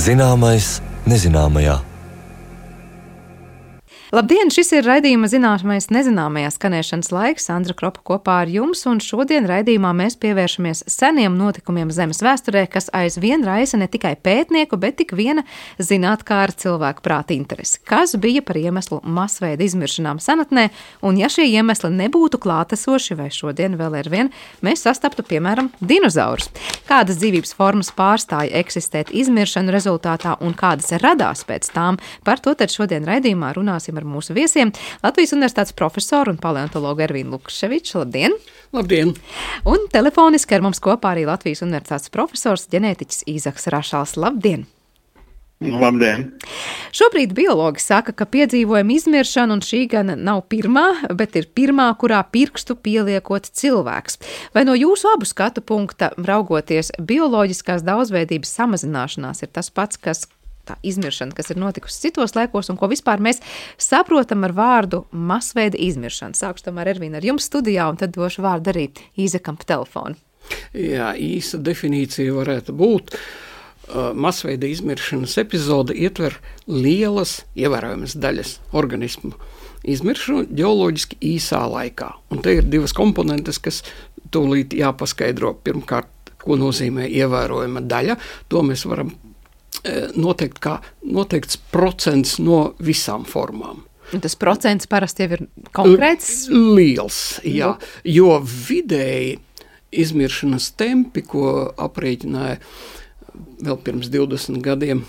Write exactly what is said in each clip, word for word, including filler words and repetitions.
Zināmais nezināmajā. Labdien, šis ir raidījuma Zināmais nezināmajā skanēšanas laiks. Sandra Kropa kopā ar jums, un šodien raidījumā mēs pievēršamies seniem notikumiem Zemes vēsturē, kas aizvien raisa ne tikai pētnieku, bet tik viena zinātkāra cilvēku prāta interesi. Kas bija par iemeslu masveida izmiršanām senatnē, un ja šie iemesli nebūtu klātesoši, vai šodien vēl ar vien, mēs sastaptu, piemēram, dinozaurus. Kādas dzīvības formas pārstāja eksistēt izmiršanu rezultātā un kādas radās pēc tām, par to tad šodien raidījumā runāsim ar mūsu viesiem. Latvijas Universitātes profesoru un paleontologu Ervīnu Lukševiču. Labdien! Labdien! Un telefoniski ar mums kopā arī Latvijas Universitātes profesors, ģenētiķis Īzaks Rašals. Labdien! Labdien! Šobrīd biologi saka, ka piedzīvojam izmiršanu, un šī gan nav pirmā, bet ir pirmā, kurā pirkstu pieliekot cilvēks. Vai no jūsu abu skatu punkta raugoties, bioloģiskās daudzveidības samazināšanās ir tas pats, kas tā izmiršana, kas ir notikusi citos laikos, un ko vispār mēs saprotam ar vārdu masveida izmiršana? Sākšu tomēr, Ervīna, ar jums studijā, un tad došu vārdu arī Īzakam pa telefonu. Jā, īsa definīcija varētu būt. Uh, masveida izmiršanas epizode ietver lielas, ievērojamas daļas organismu izmiršanu ģeoloģiski īsā laikā. Un te ir divas komponentes, kas tūlīt jāpaskaidro. Pirmkārt, ko nozīmē ievērojama daļa. To mēs varam noteikt kā noteikts procents no visām formām. Un tas procents parasti jau ir konkrēts? Liels, jā. Jo vidēji izmiršanas tempi, ko aprēķināja vēl pirms divdesmit gadiem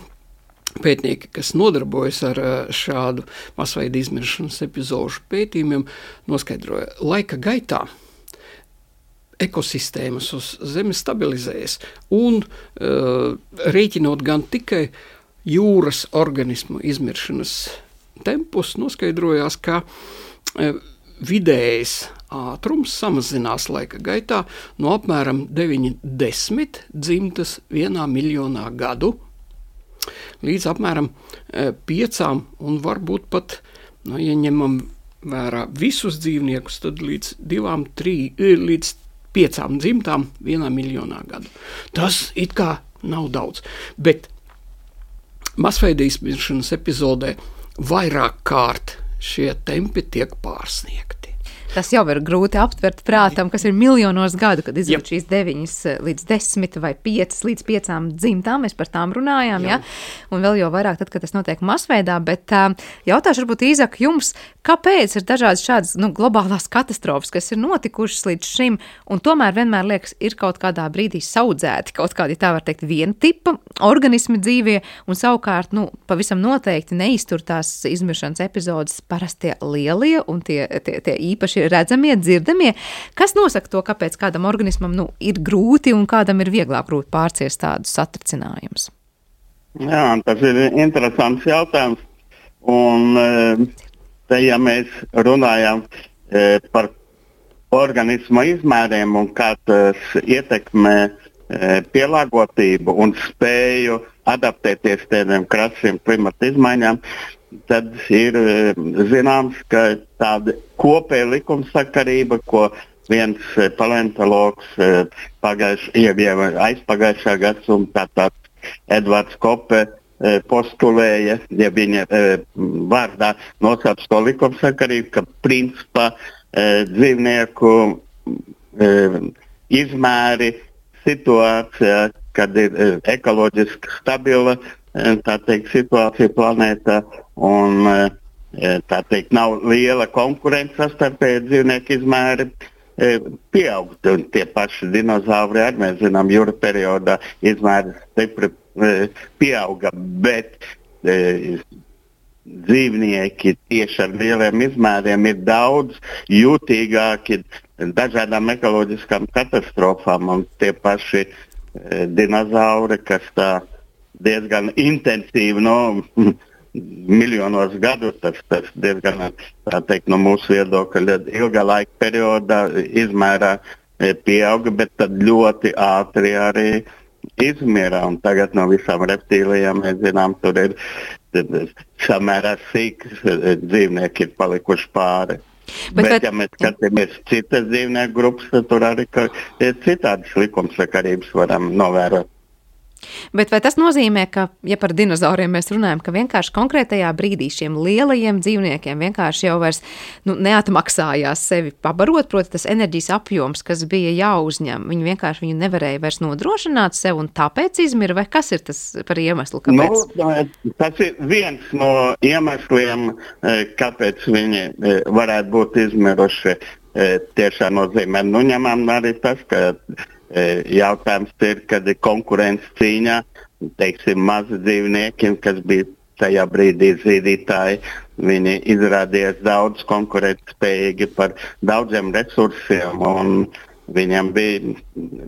pētnieki, kas nodarbojas ar šādu masveida izmiršanas epizožu pētījumiem, noskaidroja laika gaitā. Ekosistēmas uz Zemes stabilizējas un uh, rēķinot gan tikai jūras organismu izmiršanas tempus, noskaidrojās, ka uh, vidējais ātrums samazinās laika gaitā no apmēram deviņdesmit dzimtas vienā miljonā gadu līdz apmēram uh, piecām un varbūt pat, nu, ja ņemam vērā visus dzīvniekus, tad līdz divām, trī, līdz piecām dzimtām vienā miljonā gadu. Tas it kā nav daudz, bet masveida izmiršanas epizodē vairāk kārt šie tempi tiek pārsniegti. Tas jau ir grūti aptvert prātam, kas ir miljonos gadu, kad izjūt šīs deviņas līdz desmit vai piecas līdz piecām dzimtām, mēs par tām runājām, jā. Ja? Un vēl jau vairāk tad, kad tas notiek masveidā, bet uh, jautāšu varbūt Īzak jums, kāpēc ir dažādas šādas nu, globālās katastrofas, kas ir notikušas līdz šim, un tomēr vienmēr liekas, ir kaut kādā brīdī saudzēti, kaut kādi, tā var teikt, viena tipa organismi dzīvie, un savukārt, nu, pavisam noteikti neiztur tās izmiršanas epizodes parastie lielie un tie, tie, tie īpaši redzamie, dzirdamie. Kas nosaka to, kāpēc kādam organismam nu, ir grūti un kādam ir vieglāk grūti pārciest tādus satricinājumus? Jā, tas ir interesants jautājums. Un te, ja mēs runājam par organisma izmēriem un kā tas ietekmē pielāgotību un spēju adaptēties tādiem krasiem klimata izmaiņām, tad ir zināms, ka tāda kopēja likumsakarība, ko viens paleontologs pagājušajā, aizpagājušā gadsimtā tāds Edvards Kope postulēja, ja viņa vārdā nosauc to likumsakarību, ka principā dzīvnieku izmēri situācijā, kad ir ekoloģiski stabila tā teikt, situācija planētā un tā teikt, nav liela konkurence sastarpēji dzīvnieku izmēri pieaug. Un tie paši dinozauri arī, mēs zinām, jūra periodā izmēri stipri pieauga, bet dzīvnieki tieši ar lieliem izmēriem ir daudz jūtīgāki dažādām ekoloģiskām katastrofām, un tie paši dinozauri, kas tā diezgan intensīvi, no miljonos gadu, tas, tas diezgan, tā teikt, no mūsu viedokļa ilgā laika periodā izmērā pieauga, bet tad ļoti ātri arī izmira. Un tagad no visām reptīlijām, mēs zinām, tur ir samērā sīks dzīvnieki ir palikuši pāri. Bet, bet, ja mēs skatāmies citas dzīvnieku grupas, tad tur arī ir citādas likumsakarības varam novērot. Bet vai tas nozīmē, ka, ja par dinozauriem mēs runājam, ka vienkārši konkrētajā brīdī šiem lielajiem dzīvniekiem vienkārši jau vairs nu, neatmaksājās sevi pabarot, proti tas enerģijas apjoms, kas bija jāuzņem, viņi vienkārši viņu nevarēja vairs nodrošināt sev un tāpēc izmira, vai kas ir tas par iemeslu, kāpēc? Nu, tas ir viens no iemesliem, kāpēc viņi varētu būt izmiruši. Tiešām nozīmē. Nu, ņemam arī tas, ka jautājums ir, kad ir konkurence cīņā, teiksim, mazi dzīvnieki, kas bija tajā brīdī zīdītāji, viņi izrādījās daudz konkurētspējīgi par daudziem resursiem, un viņam bija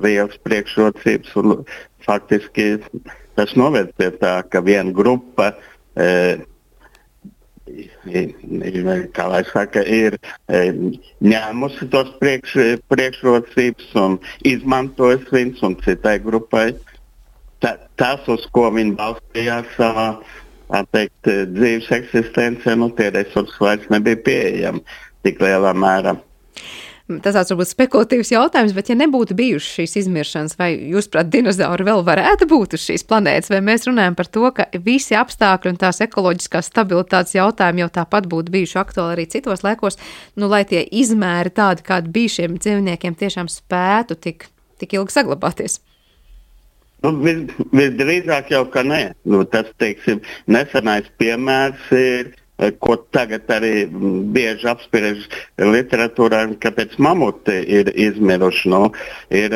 liels priekšrocības, un faktiski tas noved pie tā, ka viena grupa e, kā lai saka, ir ņēmusi tos priekš, priekšrocības un izmantojas viņus, un citai grupai ta, tas, uz ko viņi balstījās savā, tā teikt, dzīves eksistencē, nu tie resursi vairs nebija pieejami tik lielā mērā. Tas tāds varbūt spekulatīvs jautājums, bet ja nebūtu bijušas šīs izmiršanas, vai jūs, prāt, dinozauri vēl varētu būt uz šīs planētas, vai mēs runājam par to, ka visi apstākļi un tās ekoloģiskās stabilitātes jautājumi jau tāpat būtu bijuši aktuāli arī citos laikos, nu, lai tie izmēri tādi, kādi bija šiem dzīvniekiem, tiešām spētu tik, tik ilgi saglabāties? Nu, vis, visdrīzāk jau, ka nē. Nu, tas, teiksim, nesenais piemērs ir, ko tagad arī bieži apspriež literatūrā, kāpēc mamuti ir izmiruši. Nu, ir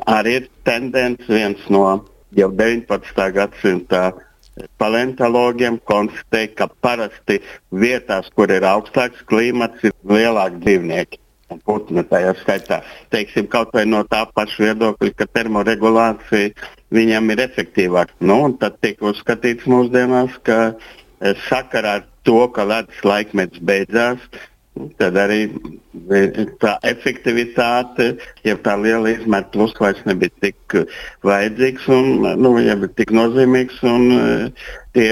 arī tendence viens no jau deviņpadsmitā gadsimta paleontologiem konstatēja, ka parasti vietās, kur ir augstāks klimats, ir lielāki dzīvnieki. Putni tajā skaitā. Teiksim, kaut vai no tā paša viedokļa, ka termoregulācija viņam ir efektīvāka. Nu, un tad tiek uzskatīts mūsdienās, ka sakarā ar to, ka ledus laikmets beidzās, tad arī tā efektivitāte, ja tā liela izmēra plus vairs nebija tik vajadzīgs un nu, ja bija tik nozīmīgs, un tie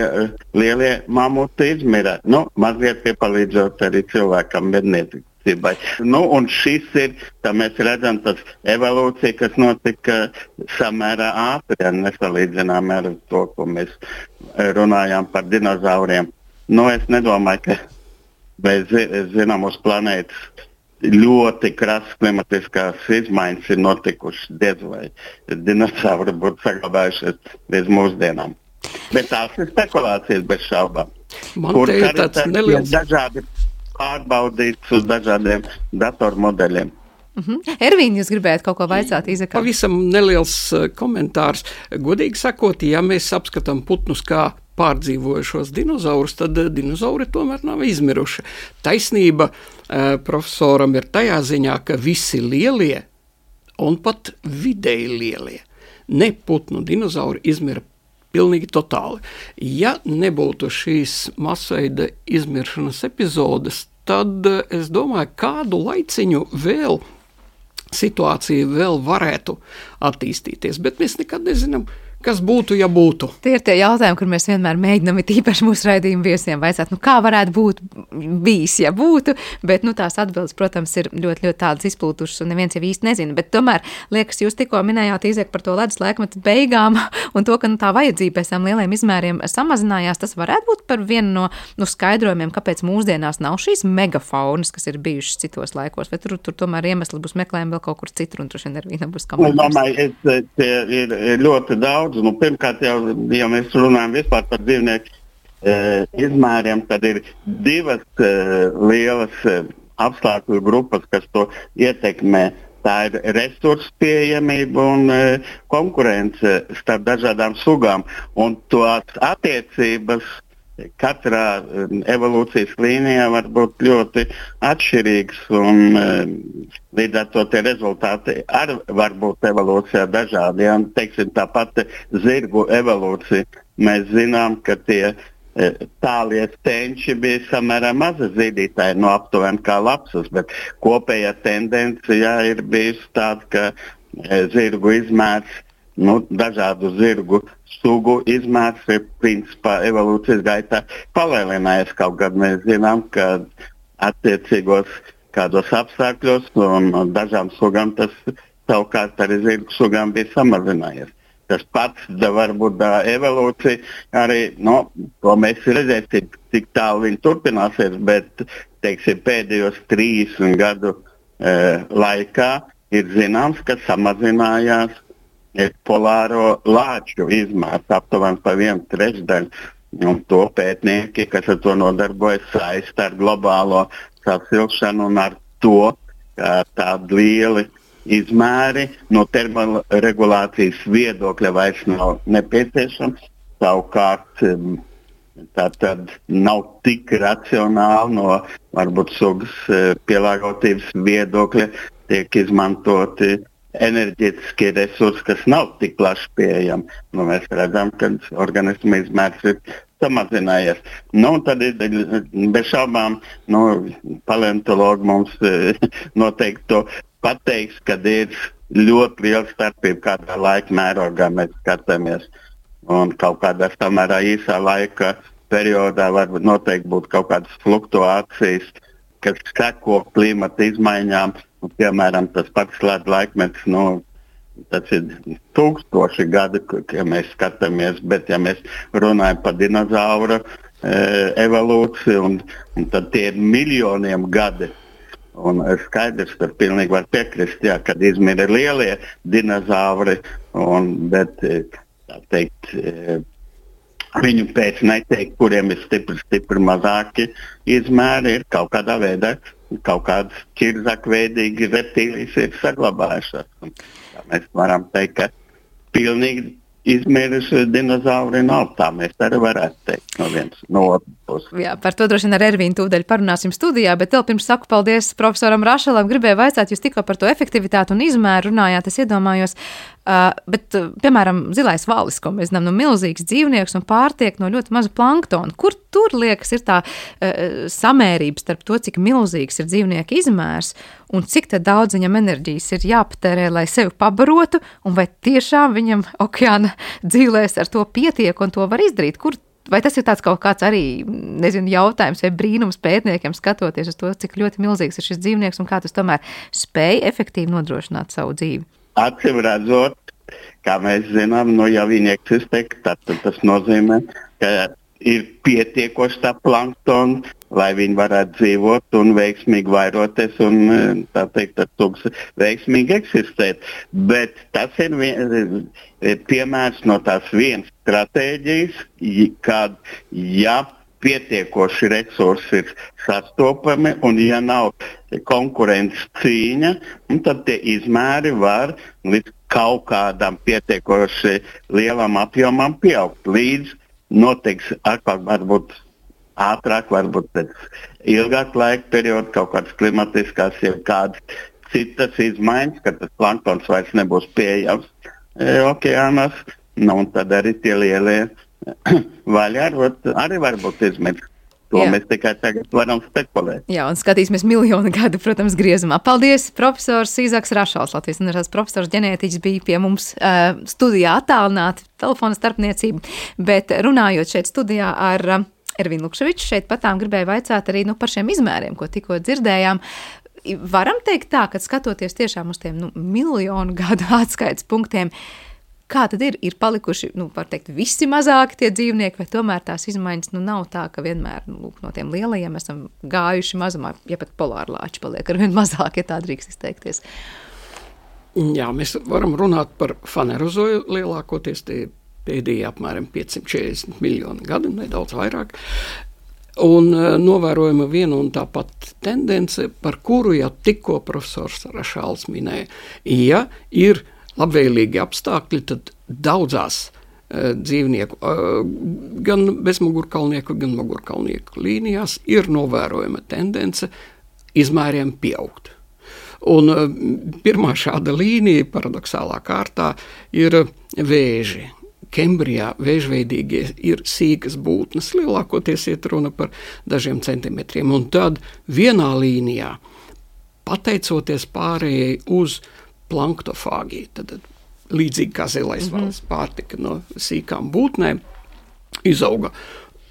lielie mamuti izmira. Nu, mazliet piepalīdzot arī cilvēkam medniecībai. Nu, un šis ir, tā mēs redzam, tas evolūcija, kas notika samērā ātri, ja nesalīdzinām ar to, ko mēs runājām par dinozauriem. Nu, es nedomāju, ka mēs zinām uz planētas ļoti krasas klimatiskās izmaiņas ir notikušas, diez vai dinozauri būtu saglabājušies līdz mūsdienām. Bet tās ir spekulācijas bez šaubām. Man te ir tāds neliels... dažādi pārbaudīts uz dažādiem datormodeļiem. Uh-huh. Ervīna, jūs gribējāt kaut ko vaicāt, Izakam? Pavisam neliels uh, komentārs. Godīgi sakot, ja mēs apskatām putnus kā pārdzīvojušos dinozaurus, tad uh, dinozauri tomēr nav izmiruši. Taisnība uh, profesoram ir tajā ziņā, ka visi lielie un pat vidēji lielie neputnu dinozauri izmira pilnīgi totāli. Ja nebūtu šīs masveida izmiršanas epizodes, tad es domāju, kādu laiciņu vēl situācija vēl varētu attīstīties, bet mēs nekad nezinām, kas būtu, ja būtu. Tie ir tie jautājumi, kur mēs vienmēr mēģinām it īpaši mūsu raidījumu viesiem vaicāt, nu kā varētu būt bijis, ja būtu, bet nu tās atbildes, protams, ir ļoti, ļoti tādas izplūtušas un neviens jau īsti nezina, bet tomēr, liekas, jūs tikko minējāt, Izek, par to ledus laikmetu beigām un to, ka nu, tā vajadzība pēc tām lieliem izmēriem samazinājās, tas varētu būt par vienu no nu, skaidrojumiem, kāpēc mūsdienās nav šīs megafaunas, kas ir bijušas citos laikos, vai tur, tur tomēr iemesli būs meklējumi vēl kaut kur citur, un tur šodien arī nebūs komentārs. Ir, ir ļoti daudz. Nu, pirmkārt, jau, ja mēs runājam vispār par dzīvnieku e, izmēriem, tad ir divas e, lielas e, apstākļu grupas, kas to ietekmē. Tā ir resursu pieejamība un e, konkurence starp dažādām sugām. Un tās attiecības katrā evolūcijas līnijā var būt ļoti atšķirīgas, un līdz ar to tie rezultāti arī var būt evolūcijā dažādi. Ja, teiksim, tāpat zirgu evolūcija. Mēs zinām, ka tie tālie stenči bija samērā maza zīdītāji, no aptuveni kā lapsas, bet kopējā tendencija ir bijusi tāda, ka zirgu izmērs, nu, dažādu zirgu sugu izmērs ir principā evolūcijas gaitā palielinājies. Kaut gan mēs zinām, ka attiecīgos kādos apstākļos un dažām sugām tas savukārt arī zirgu sugām bija samazinājies. tas pats, da varbūt da evolūcija arī, no, to mēs redzēsim, cik tālu viņi turpināsies, bet, teiksim, pēdējos trīsdesmit gadu e, laikā ir zināms, ka samazinājās e, polāro lāču izmērs aptuveni pa vienu trešdaļu. Un to pētnieki, kas ar to nodarbojas, saista ar globālo sasilšanu un ar to, ka tādi lieli izmēri no termoregulācijas viedokļa vairs nav nepieciešams. Savukārt tā tad nav tik racionāli no varbūt sugas pielāgotības viedokļa tiek izmantoti enerģētiskie resursi, kas nav tik plaši pieejami. Nu, mēs redzam, ka organisma izmērs ir samazinājies. Nu, tad ir bez šaubām, nu, paleontologi mums noteikti to pateiks, kad ir ļoti liela starpība, kādā laika mērogā mēs skatāmies. Un kaut kādā samērā īsā laika periodā var noteikti būt kaut kādas fluktuācijas, kas seko klimata izmaiņām. Un, piemēram, tas pats ledu laikmets, nu, tas ir tūkstoši gadi, ja mēs skatāmies, bet ja mēs runājam par dinozauru e, evolūciju, un, un tad tie ir miljoniem gadi. Un skaidrs, ka pilnīgi var piekrist, jā, kad izmira lielie dinozauri, un, bet, tā teikt, e, viņu pēc neteikt, kuriem ir stipri, stipri mazāki izmēri, ir kaut kādā veidā. Kaut kādas ķirzakveidīgi reptīlijas ir saglabājušās. Mēs varam teikt, ka pilnīgi izmiruši dinozauri nav, tā mēs arī varētu teikt no vienas no otras puses. Jā, par to droši vien ar Ervīnu tūdaļ parunāsim studijā, bet vēl pirms saku paldies profesoram Rašalam, gribēju vaicāt, jūs tikko par to efektivitāti un izmēru runājāt, es iedomājos, uh, bet, uh, piemēram, zilais valis, ko mēs zinām, no milzīgs dzīvnieks un pārtiek no ļoti maza planktona. Kur tur, liekas, ir tā uh, samērība starp to, cik milzīgs ir dzīvnieka izmērs un cik tad daudz viņam enerģijas ir jāpatērē, lai sevi pabarotu, un vai tiešām viņam okeāna dzīvēs ar to pietiek un to var izdarīt? Kur, vai tas ir tāds kaut kāds arī, nezinu, jautājums vai brīnums pētniekiem skatoties uz to, cik ļoti milzīgs ir šis dzīvnieks un kā tas tomēr spēj efektīvi nodrošināt savu dzīvi? Acīm redzot, kā mēs zinām, nu, ja viņi eksistē, tad tas nozīmē, ka ir pietiekoši tā planktona, lai viņi varētu dzīvot un veiksmīgi vairoties un, tā teikt, tas tūks veiksmīgi eksistēt. Bet tas ir vien, piemērs no tās vienas stratēģijas, kad, ja pietiekoši resursi ir sastopami un ja nav konkurences cīņa, tad tie izmēri var līdz kaut kādam pietiekoši lielam apjomam pieaugt. Līdz notiks atkal varbūt ātrāk, varbūt pēc ilgāk laika perioda, kaut kādas klimatiskās, jau kādas citas izmaiņas, ka tas planktons vairs nebūs pieejams e, okeānos, nu, un tad arī tie lielie vaļi arī, arī varbūt izmirst. To Jā. Mēs tikai tagad varam spekulēt. Jā, un skatīsimies miljonu gadu, protams, griezumā. Paldies, profesors Īzaks Rašals, Latvijas Universitātes profesors ģenētiķis, bija pie mums uh, studijā attālināti, telefona starpniecība, bet runājot šeit studijā ar uh, Ervīnu Lukševiču, šeit patām gribēju vaicāt arī nu, par šiem izmēriem, ko tikko dzirdējām. Varam teikt tā, ka skatoties tiešām uz tiem nu, miljonu gadu atskaites punktiem, kā tad ir? Ir palikuši, nu, var teikt, visi mazāki tie dzīvnieki, vai tomēr tās izmaiņas nu, nav tā, ka vienmēr nu, lūk, no tiem lielajiem esam gājuši mazumā, ja pat polārlāči paliek ar vien mazāk, ja tā drīkst izteikties? Jā, mēs varam runāt par fanerozoju lielākoties tie pēdējie apmēram piecsimt četrdesmit miljoni gadi, nedaudz vairāk. Un uh, novērojama viena un tā pat tendence, par kuru jau tikko profesors Rašals minēja. Ja ir labvēlīgi apstākļi, tad daudzās uh, dzīvnieku, uh, gan bezmugurkalnieku, gan mugurkalnieku līnijās ir novērojama tendence izmēriem pieaugt. Un uh, pirmā šāda līnija, paradoxālā kārtā, ir vēži. Kembrijā vēžveidīgie ir sīkas būtnes, lielākoties iet runa par dažiem centimetriem. Un tad vienā līnijā, pateicoties pārējai uz planktofāgiju, tad līdzīgi kā zilais mm-hmm. valis pārtika no sīkām būtnēm, izauga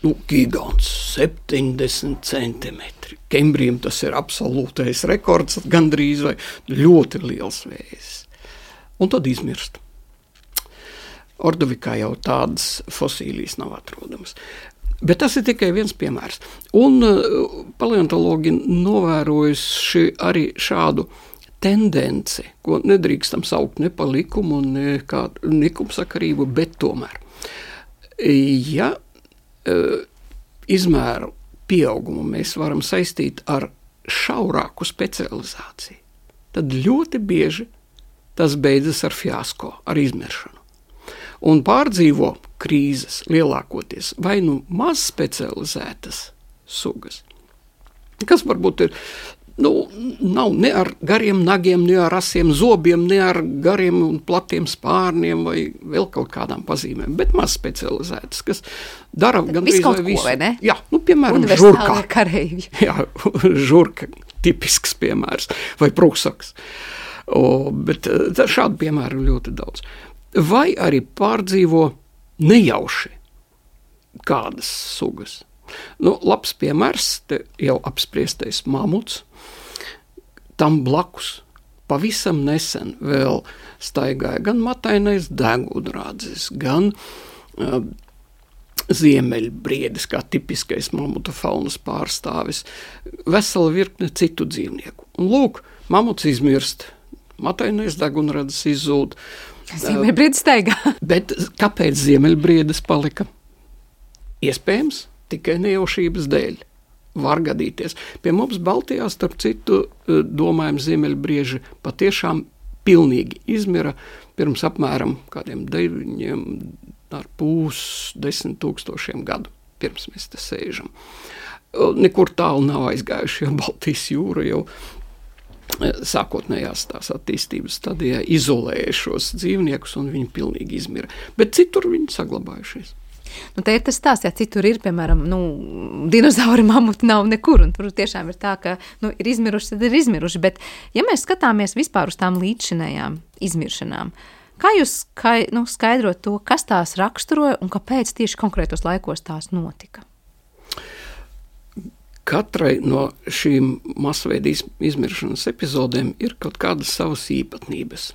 nu, gigants, septiņdesmit centimetri. Kembrijam tas ir absolūtais rekords, gandrīz vai ļoti liels vējs. Un tad izmirst. Ordovikā jau tādas fosīlijas nav atrodamas. Bet tas ir tikai viens piemērs. Un uh, paleontologi novērojuši arī šādu tendenci, ko nedrīkstam saukt ne pa likumu, ne kā likumsakarību, bet tomēr. Ja uh, izmēru pieaugumu mēs varam saistīt ar šaurāku specializāciju, tad ļoti bieži tas beidzas ar fiasko, ar izmiršanu. Un pārdzīvo krīzes lielākoties vai nu maz specializētas sugas, kas varbūt ir, nu, nav ne ar gariem nagiem, ne ar asiem zobiem, ne ar gariem un platiem spārniem vai vēl kaut kādām pazīmēm, bet maz specializētas, kas dara gandrīz vai visu. Vai ne? Jā, nu, piemēram, žurkā. Kareivji. Jā, žurka, tipisks piemērs, vai prūsaks. O, bet šādu piemēru ļoti daudz. Vai arī pārdzīvo nejauši kādas sugas. Nu, labs piemērs, te jau apspriestais mamuts, tam blakus pavisam nesen vēl staigāja gan matainais degunrādzis, gan uh, ziemeļbriedis, kā tipiskais mamuta faunas pārstāvis, vesela virkne citu dzīvnieku. Un lūk, mamuts izmirst, matainais degunrādzis izzūd. Ziemeļbriedis staigā. Bet kāpēc ziemeļbriedis palika? Iespējams, tikai nejaušības dēļ. Var gadīties. Pie mums Baltijā, starp citu, domājam, ziemeļbrieži patiešām pilnīgi izmira pirms apmēram kādiem deviņiem ar pūs desmit tūkstošiem gadu, pirms mēs te sēžam. Nekur tālu nav aizgājuši, jo Baltijas jūra jau sākotnējās tās attīstības stadijā izolēja šos dzīvniekus un viņi pilnīgi izmira. Bet citur viņi saglabājušies. Nu, te ir tas stāsts, ja citur ir, piemēram, nu, dinozauri, mamuti nav nekur, un tur tiešām ir tā, ka, nu, ir izmiruši, tad ir izmiruši, bet ja mēs skatāmies vispār uz tām līdzšinējām izmiršanām, kā jūs skai, nu, skaidrot to, kas tās raksturoja un kāpēc tieši konkrētos laikos tās notika? Katrai no šīm masveida izmiršanas epizodēm ir kaut kādas savas īpatnības.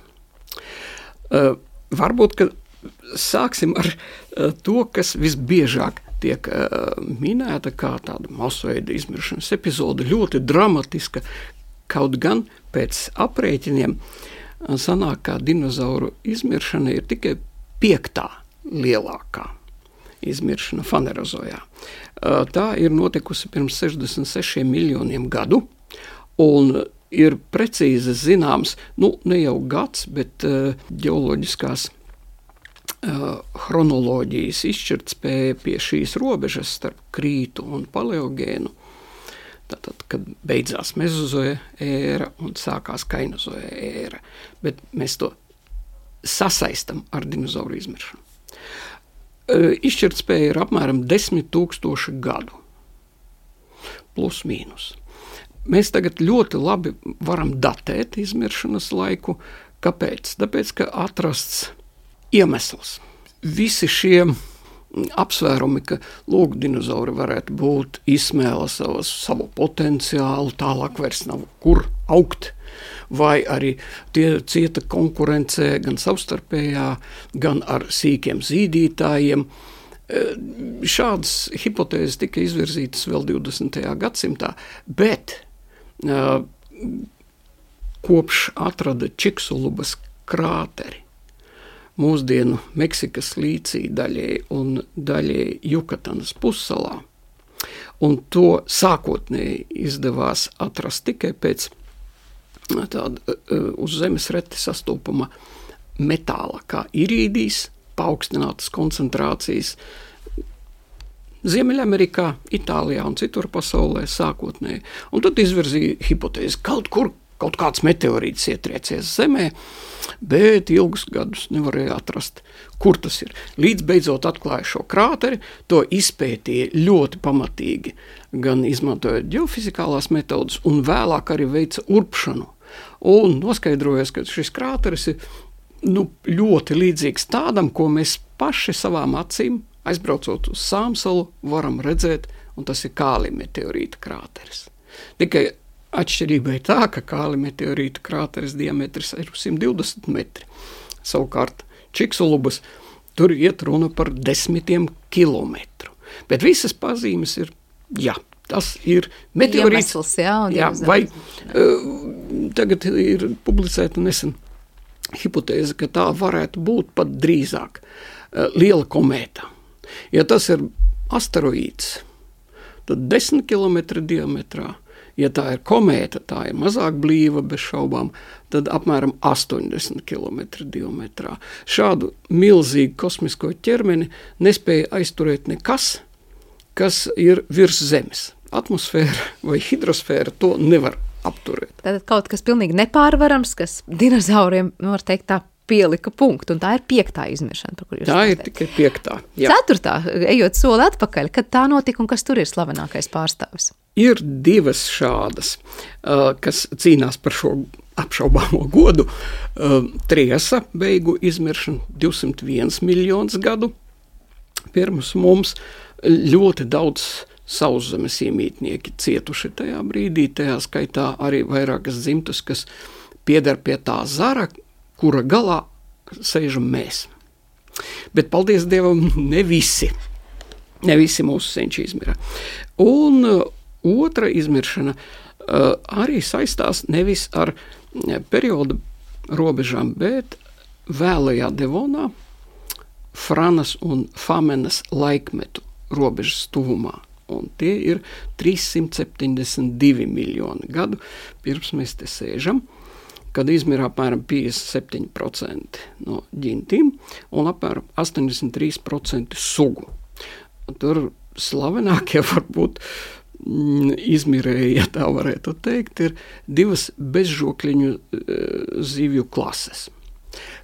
Uh, varbūt, ka sāksim ar uh, to, kas visbiežāk tiek uh, minēta kā tāda masveida izmiršanas epizode, ļoti dramatiska, kaut gan pēc aprēķiniem uh, sanāk, kā dinozauru izmiršana ir tikai piektā lielākā izmiršana Fanerozojā. Tā ir notikusi pirms sešdesmit sešiem miljoniem gadu, un ir precīzi zināms, nu, ne jau gads, bet uh, ģeoloģiskās uh, chronoloģijas izšķirtspēja pie šīs robežas starp krītu un paleogēnu, tātad, kad beidzās mezozoja ēra un sākās kainozoja ēra, bet mēs to sasaistam ar dinozauru izmiršanu. Izšķirtspēja ir apmēram desmit tūkstoši gadu, plus mīnus. Mēs tagad ļoti labi varam datēt izmiršanas laiku. Kāpēc? Tāpēc, ka atrasts iemesls. Visi šie apsvērumi, ka lūk, dinozauri varētu būt izsmēla savas, savu potenciālu, tālāk vairs nav kur augt, vai arī tie cieta konkurencē gan savstarpējā, gan ar sīkiem zīdītājiem. Šādas hipotēzes tika izvirzītas vēl divdesmitajā gadsimtā, bet uh, kopš atrada Čiksulubas krāteri mūsdienu Meksikas līcī daļēji un daļēji Jukatanas pussalā, un to sākotnēji izdevās atrast tikai pēc tāda uz zemes reti sastopama metāla, kā irīdijs, paaugstinātas koncentrācijas Ziemeļamerikā, Itālijā un citur pasaulē sākotnēji. Un tad izvirzīja hipotēzi, kaut kur kaut kāds meteorīts ietriecies zemē, bet ilgus gadus nevarēja atrast, kur tas ir. Līdz beidzot atklāja šo krāteri, to izpētīja ļoti pamatīgi, gan izmantojot ģeofizikālās metodas, un vēlāk arī veica urpšanu. Un noskaidrojas, ka šis krāteris ir nu, ļoti līdzīgs tādam, ko mēs paši savām acīm, aizbraucot uz Sāmsalu, varam redzēt, un tas ir Kāli meteorīta krāteris. Tikai atšķirība ir tā, ka Kāli meteorīta krāteris diametrs ir simt divdesmit metri. Savukārt Čiksulubas tur iet runa par desmitiem kilometru. Bet visas pazīmes ir, jā, tas ir meteorīts. Iemesls, jā, jā, vai uh, tagad ir publicēta nesen hipotēze, ka tā varētu būt pat drīzāk uh, liela komēta. Ja tas ir asteroīds, tad desmit kilometri diametrā. Ja tā ir komēta, tā ir mazāk blīva, bez šaubām, tad apmēram astoņdesmit kilometri diametrā. Šādu milzīgu kosmisko ķermeni nespēja aizturēt nekas, kas ir virs Zemes. Atmosfēra vai hidrosfēra to nevar apturēt. Tātad kaut kas pilnīgi nepārvarams, kas dinozauriem, var teikt, tā pielika punktu, un tā ir piektā izmiršana, par kur jūs Tā ir stāstāt. tikai piektā. Jā. Ceturtā, ejot soli atpakaļ, kad tā notika un kas tur ir slavenākais pārstāvis? Ir divas šādas, kas cīnās par šo apšaubāmo godu. Triesa beigu izmiršana divsimt viens miljonus gadu. Pirms mums ļoti daudz sauszemes iemītnieki cietuši tajā brīdī, tajā skaitā arī vairākas dzimtas, kas pieder pie tā zara, kura galā sēžam mēs. Bet, paldies Dievam, ne visi. Ne visi mūsu senči izmira. Un uh, otra izmiršana uh, arī saistās nevis ar uh, periodu robežām, bet vēlajā Devonā Franas un Famenas laikmetu robežas tuvumā. Un tie ir trīssimt septiņdesmit divi miljoni gadu, pirms mēs te sēžam, kad izmira apmēram piecdesmit septiņi procenti no ģintīm un apmēram astoņdesmit trīs procenti sugu. Tur slavenākie varbūt mm, izmirēji, ja tā varētu teikt, ir divas bezžokļiņu e, zivju klases.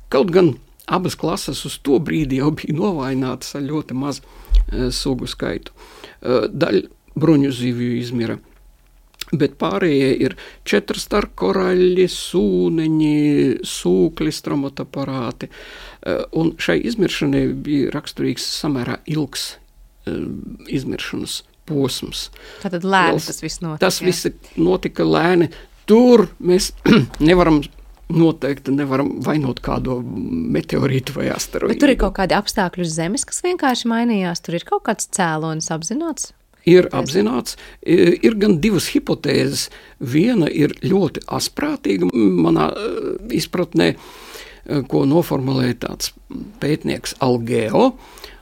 Kaut gan abas klases uz to brīdi jau bija novājinātas ar ļoti mazu e, sugu skaitu. E, daļa bruņu zivju izmira. Bet pārējie ir četrstarkoraļļi, sūneņi, sūkļi, stromotaparāti. Un šai izmiršanai bija raksturīgs samērā ilgs izmiršanas posms. Tātad lēni tas viss notika. Tas viss notika lēni. Tur mēs nevaram noteikti nevaram vainot kādu meteorītu vai asteroīdu. Bet tur ir kaut kādi apstākļi uz Zemes, kas vienkārši mainījās. Tur ir kaut kāds cēlonis apzināts? Ir apzināts, ir gan divas hipotēzes. Viena ir ļoti asprātīga manā izpratnē, ko noformulēja tāds pētnieks Algeo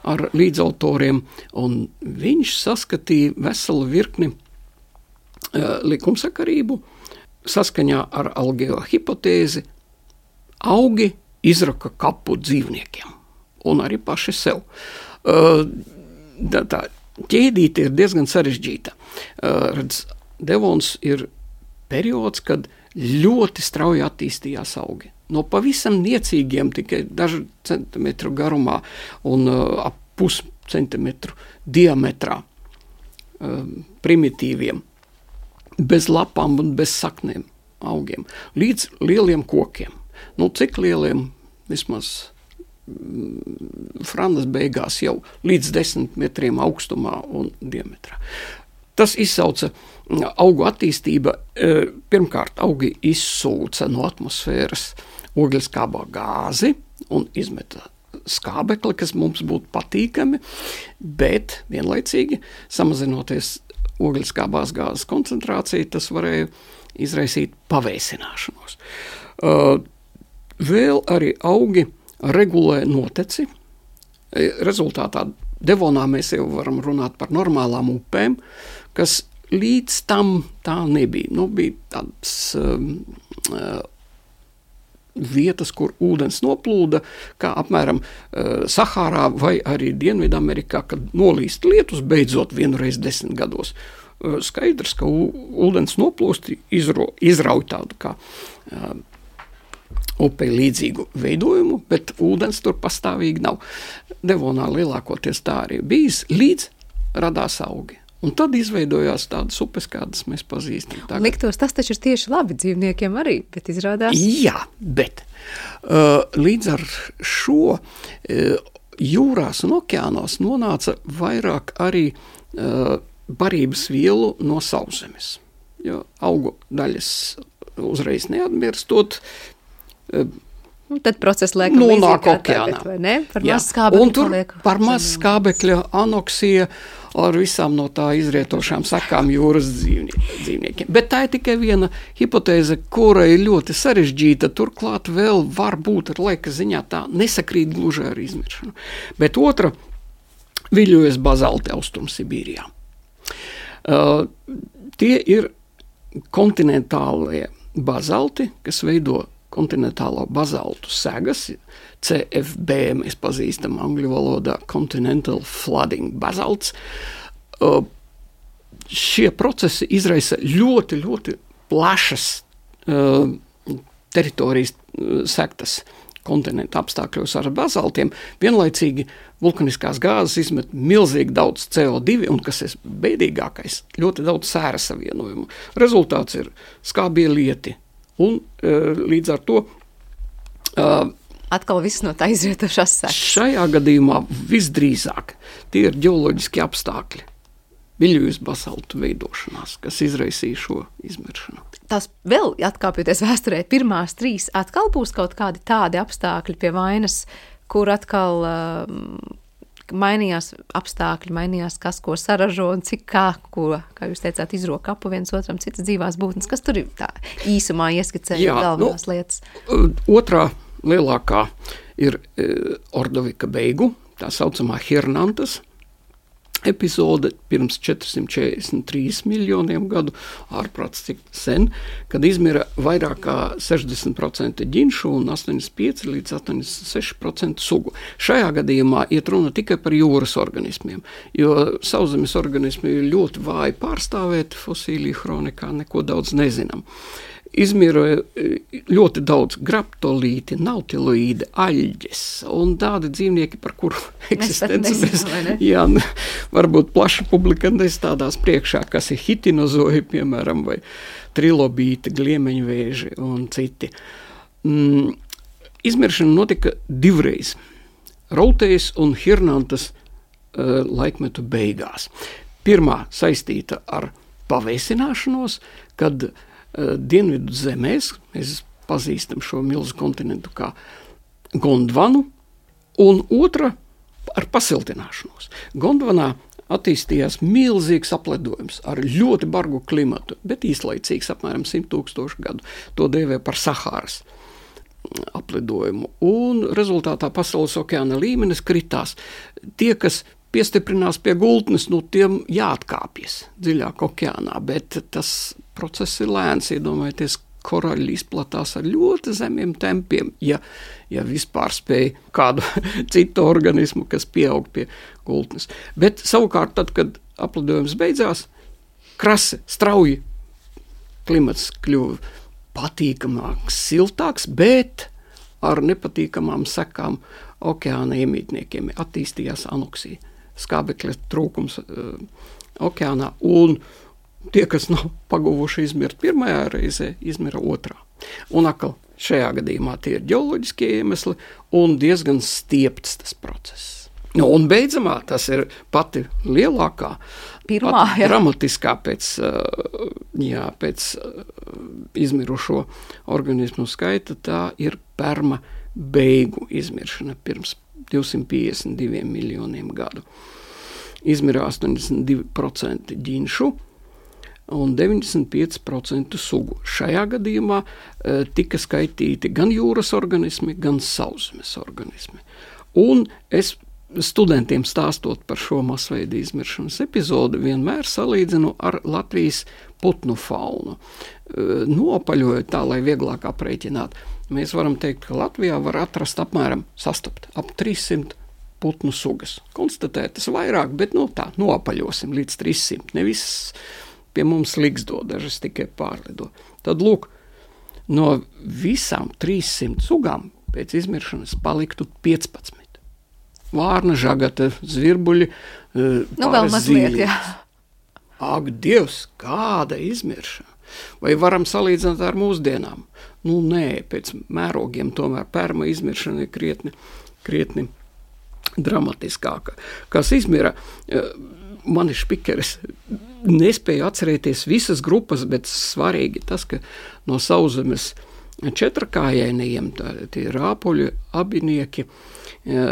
ar līdzautoriem, un viņš saskatīja veselu virkni likumsakarību. Saskaņā ar Algeo hipotēzi augi izraka kapu dzīvniekiem un arī paši sev. Tā, tā ķēdīte ir diezgan sarežģīta. Uh, redz, Devons ir periods, kad ļoti strauji attīstījās augi. No pavisam niecīgiem, tikai dažu centimetru garumā un uh, ap pus centimetru diametrā uh, primitīviem, bez lapām un bez saknēm augiem, līdz lieliem kokiem. Nu, cik lieliem? Vismaz Franas beigās jau līdz desmit metriem augstumā un diametrā. Tas izsauca augu attīstība. Pirmkārt, augi izsūca no atmosfēras ogļskābā gāzi un izmeta skābekli, kas mums būtu patīkami, bet vienlaicīgi samazinoties ogļskābās gāzes koncentrācija, tas varēja izraisīt pavēsināšanos. Vēl arī augi regulē noteci. Rezultātā Devonā mēs jau varam runāt par normālām upēm, kas līdz tam tā nebija. Nu, bija tādas um, uh, vietas, kur ūdens noplūda, kā apmēram uh, Sahārā vai arī Dienvidamerikā, kad nolīst lietus beidzot vienreiz desmit gados. Uh, skaidrs, ka ūdens noplūst izro, izrauj tādu kā uh, upei līdzīgu veidojumu, bet ūdens tur pastāvīgi nav. Devonā lielākoties tā arī bijis, līdz radās augi. Un tad izveidojās tādas upes, kādas mēs pazīstam tagad. Liktos, tas taču ir tieši labi dzīvniekiem arī, bet izrādās... Jā, bet uh, līdz ar šo uh, jūrās un okeānos nonāca vairāk arī uh, barības vielu no sauszemes. Jo augu daļas uzreiz neatmirstot, Un tad process liekam nonāk līdzīgi kā okeānā. tagad, vai ne? Par Jā. maz skābekļu Un tur paliek par maz zemūdens. skābekļa anoksija ar visām no tā izrietošām sekām jūras dzīvnie, dzīvniekiem. Bet tā ir tikai viena hipotēze, kura ir ļoti sarežģīta, turklāt vēl var būt ar laika ziņā tā nesakrīt gluži ar izmiršanu. Bet otra viļojas bazalti Austrumsibīrijā. Uh, tie ir kontinentālie bazalti, kas veido kontinentālo bazaltu segas, C F B, mēs pazīstam angļu valodā Continental Flooding Basalts. Uh, šie procesi izraisa ļoti, ļoti plašas uh, teritorijas uh, sektas kontinenta apstākļos ar bazaltiem. Vienlaicīgi vulkaniskās gāzes izmet milzīgi daudz C O divi un, kas ir bēdīgākais, ļoti daudz sēra savienojumu. Rezultāts ir skābie lieti un uh, līdz ar to uh, Atkal viss no tā izrietošās sekas. šajā gadījumā visdrīzāk tie ir ģeoloģiski apstākļi, viļojas basaltu veidošanās, kas izraisīja šo izmiršanu. Tās vēl atkāpjoties vēsturē, pirmās trīs atkal būs kaut kādi tādi apstākļi pie vainas, kur atkal um, mainījās apstākļi, mainījās kas, ko saražo un cik kā, ko, kā jūs teicāt, izroka kapu viens otram, citas dzīvās būtnes. Kas tur ir tā īsumā ieskicēja galvenās nu, lietas? Otrā lielākā ir e, Ordovika beigu, tā saucamā Hirnantas epizode pirms četrsimt četrdesmit trīs miljoniem gadu, ārprāts cik sen, kad izmira vairāk kā sešdesmit procenti ģinšu un astoņdesmit pieci līdz astoņdesmit seši procenti sugu. Šajā gadījumā iet runa tikai par jūras organismiem, jo sauszemes organismi ir ļoti vāji pārstāvēti fosīliju kronikā, neko daudz nezinām. Izmira ļoti daudz graptolīti, nautiloīdi, aļģes un tādi dzīvnieki, par kuru eksistenci mēs, jā, varbūt plaša publika nestādās priekšā, kas ir hitinozoji, piemēram, vai trilobīti, gliemeņvēži un citi. Mm, izmiršana notika divreiz. Routējas un Hirnantas uh, laikmetu beigās. Pirmā saistīta ar pavēsināšanos, kad Dienvidu zemēs, mēs pazīstam šo milzu kontinentu kā Gondvanu, un otra ar pasiltināšanos. Gondvanā attīstījās milzīgs apledojums ar ļoti bargu klimatu, bet īslaicīgs, apmēram simt tūkstošu gadu. To dēvē par Sahāras apledojumu, un rezultātā pasaules okeāna līmenis kritās. Tie, kas piestiprinās pie gultnes, nu tiem jāatkāpjas dziļāk okeānā, bet tas process ir lēns, iedomājieties, koraļi izplatās ar ļoti zemiem tempiem, ja, ja vispār spēja kādu citu organismu, kas pieaug pie gultnes. Bet savukārt tad, kad apledojums beidzās, krasi, strauji klimats kļuva patīkamāks, siltāks, bet ar nepatīkamām sekām okeāna iemītniekiem attīstījās anoksija, skābekļa trūkums uh, okeānā, un tie, kas nav paguvuši izmirt pirmajā reizē, izmira otrā. Un atkal šajā gadījumā tie ir ģeoloģiskie iemesli un diezgan stiepts tas process. Nu, un beidzamā tas ir pati lielākā, Pirmā, pati jā. dramatiskā pēc, jā, pēc izmirušo organismu skaita, tā ir Perma beigu izmiršana pirms divsimt piecdesmit diviem miljoniem gadu. Izmirā astoņdesmit divi procenti ģinšu un deviņdesmit pieci procenti sugu. Šajā gadījumā e, tika skaitīti gan jūras organismi, gan sauszemes organismi. Un es studentiem stāstot par šo masveida izmiršanas epizodi vienmēr salīdzinu ar Latvijas putnu faunu. E, nopaļojot tā, lai vieglāk aprēķināt, mēs varam teikt, ka Latvijā var atrast apmēram sastapt ap trīssimt putnu sugas. Konstatētas vairāk, bet no tā nopaļosim līdz trīssimt. Nevis pie mums liksdo, dažas tikai pārlido. Tad lūk, no visām trīssimt sugām pēc izmiršanas paliktu piecpadsmit. Vārna, žagata, zvirbuļi, nu, vēl mazliet, jā. Ak, Dievs, kāda izmiršana! Vai varam salīdzināt ar mūsdienām? Nu, nē, pēc mērogiem tomēr Perma izmiršana ir krietni, krietni dramatiskāka. Kas izmira, mani špikeris nespēja atcerēties visas grupas, bet svarīgi tas, ka no sauszemes četrakājainajiem, tie rāpuļi, abinieki,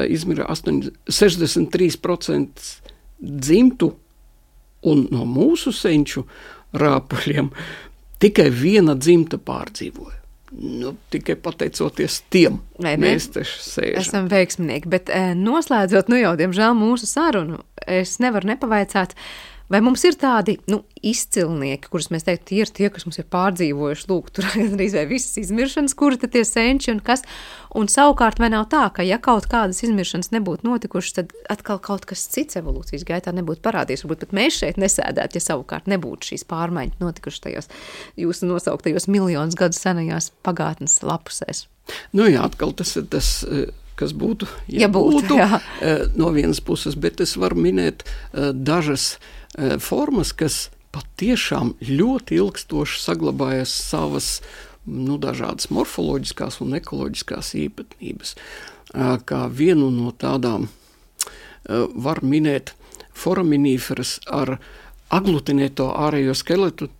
Izmirā sešdesmit trīs procenti dzimtu, un no mūsu senču rāpuļiem tikai viena dzimta pārdzīvoja. Nu, tikai pateicoties tiem, mēs taču sēžam. Esam veiksminieki, bet noslēdzot, nu jau, diemžēl, mūsu sarunu, es nevaru nepavaicāt, vai mums ir tādi, nu, izcilnieki, kurus mēs teiktu, tie ir tie, kas mums ir pārdzīvojuši, lūk, tur arī vai visas izmiršanas, kuri tad tie senči un kas, un savukārt vai nav tā, ka ja kaut kādas izmiršanas nebūtu notikušas, tad atkal kaut kas cits evolūcijas gaitā nebūtu parādījies, varbūt pat mēs šeit nesēdētu, ja savukārt nebūtu šīs pārmaiņas notikušas tajos jūsu nosauktajos miljonus gadu senajās pagātnes lapusēs. Nu jā, atkal tas ir tas, kas būtu, ja, ja būtu, būtu jā. no vienas puses, bet es varu minēt dažas formas, kas patiešām ļoti ilgstoši saglabājas savas, nu, dažādas morfoloģiskās un ekoloģiskās īpatnības. Kā vienu no tādām var minēt foraminiferas ar aglutinēto ārējo skeletu.